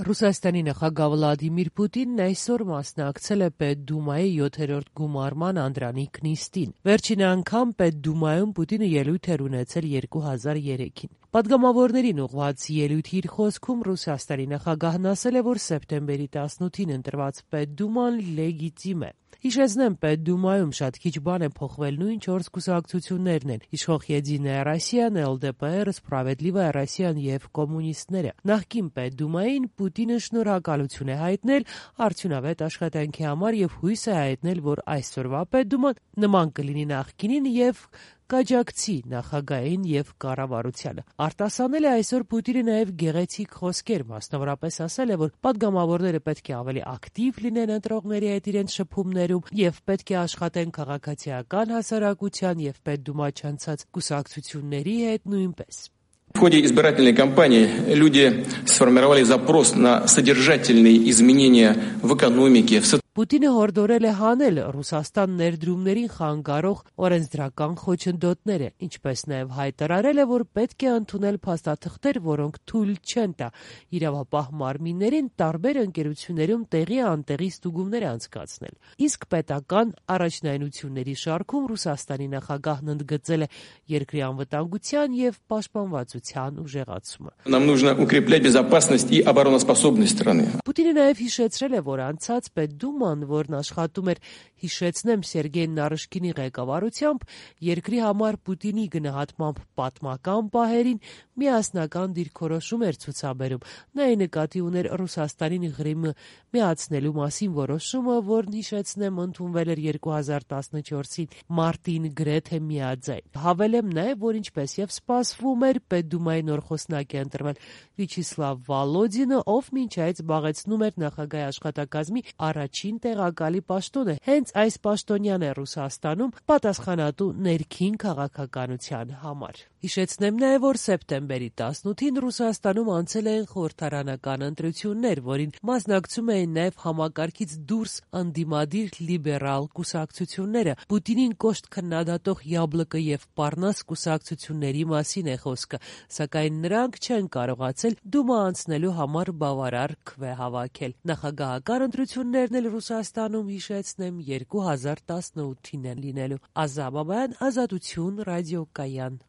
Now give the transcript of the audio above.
Ռուսաստանի նախագահ Վլադիմիր Պուտինն այսօր մասնակցել է Պետդումայի 7-րդ գումարման անդրանիկ նիստին։ Վերջին անգամ Պետդումայում Պուտինը ելույթ էր ունեցել 2003-ին։ Պատգամավորներին ուղղված ելույթի իր խոսքում Ռուսաստանի նախագահն ասել է, որ սեպտեմբերի 18-ին ընտրված Պետդուման լեգիտիմ է։ Հիշեցնեմ, Պետդումայում շատ քիչ բան է փոխվել, նույն 4 կուսակցություններն են՝ Իշխող Եդիная Ռոսիան, ԼԴՊ, Սպրավեդլիվայա Ռոսիան եւ կոմունիստները։ Նախկին Պետդումային Պուտինը շնորհակալություն է հայտնել արդյունավետ աշխատանքի համար եւ հույս է հայտնել, որ այսօրվա Պետդուման նման կլինի նախկինին եւ կաջակցի նախագահային եւ կառավարությանը։ Արտասանել է այսօր Պուտինը նաեւ գեղեցիկ խոսքեր, մասնավորապես ասել է, որ պատգամավորները պետք է ավելի ակտիվ լինեն ընտրողների հետ իրենց շփումներում եւ պետք է աշխատեն քաղաքացիական հասարակության եւ Պետդումա չանցած կուսակցությունների հետ նույնպես։ В ходе избирательной кампании люди сформировали запрос на содержательные изменения в экономике, в Պուտինը հորդորել է հանել Ռուսաստան ներդրումներին խանգարող օրենսդրական խոչընդոտները, ինչպես նաև հայտարարել է, որ պետք է ընդունել փաստաթղթեր, որոնք թույլ չեն տա իրավապահ մարմիններին տարբեր ընկերություններում տեղի անտեղի ստուգումներ անցկացնել։ Իսկ պետական առաջնայնությունների շարքում Ռուսաստանի նախագահն ընդգծել է երկրի անվտանգության եւ պաշտպանվածության ուժեղացումը։ Нам нужно укреплять безопасность и обороноспособность страны. Պուտինը նաև հիշեցրել է, որ անցած Պետդումա որն աշխատում էր, հիշեցնեմ, Սերգեյ Նարիշկինի ղեկավարությամբ, երկրի համար Պուտինի գնահատմամբ պատմական պահերին միասնական դիրքորոշում էր ցուցաբերում։ Նա ի նկատի ուներ Ռուսաստանին Ղրիմը միացնելու մասին որոշումը, որն հիշեցնեմ ընդունվել էր 2014-ին մարտին գրեթե միաձայն։ Հավելեմ նաև, որ ինչպես եւ սպասվում էր, Պետդումայի նոր խոսնակ է ընտրվել Վիաչեսլավ Վոլոդինը, ով մինչ այդ զբաղեցնում էր նախագահի աշխատակազմի առաջին տեղակալի պաշտոնը։ Հենց այս պաշտոնյան է Ռուսաստանում պատասխանատու ներքին քաղաքականության համար։ Հիշեցնեմ նաև, որ սեպտեմբերի 18-ին Ռուսաստանում անցել են խորհրդարանական ընտրություններ, որին մասնակցում էին նաև համակարգից դուրս ընդդիմադիր լիբերալ կուսակցությունները։ Պուտինին կոշտ քննադատող Յաբլոկը եւ Պառնաս կուսակցությունների մասին է խոսքը, սակայն նրանք չեն կարողացել Դումա անցնելու համար բավարար քվե հավաքել։ Նախագահական ընտրություններն էլ Ռուսաստանում, հիշեցնեմ, 2018-ին են լինելու։ Ազատ Բաբայան, Ազատություն, ռադիոկայան։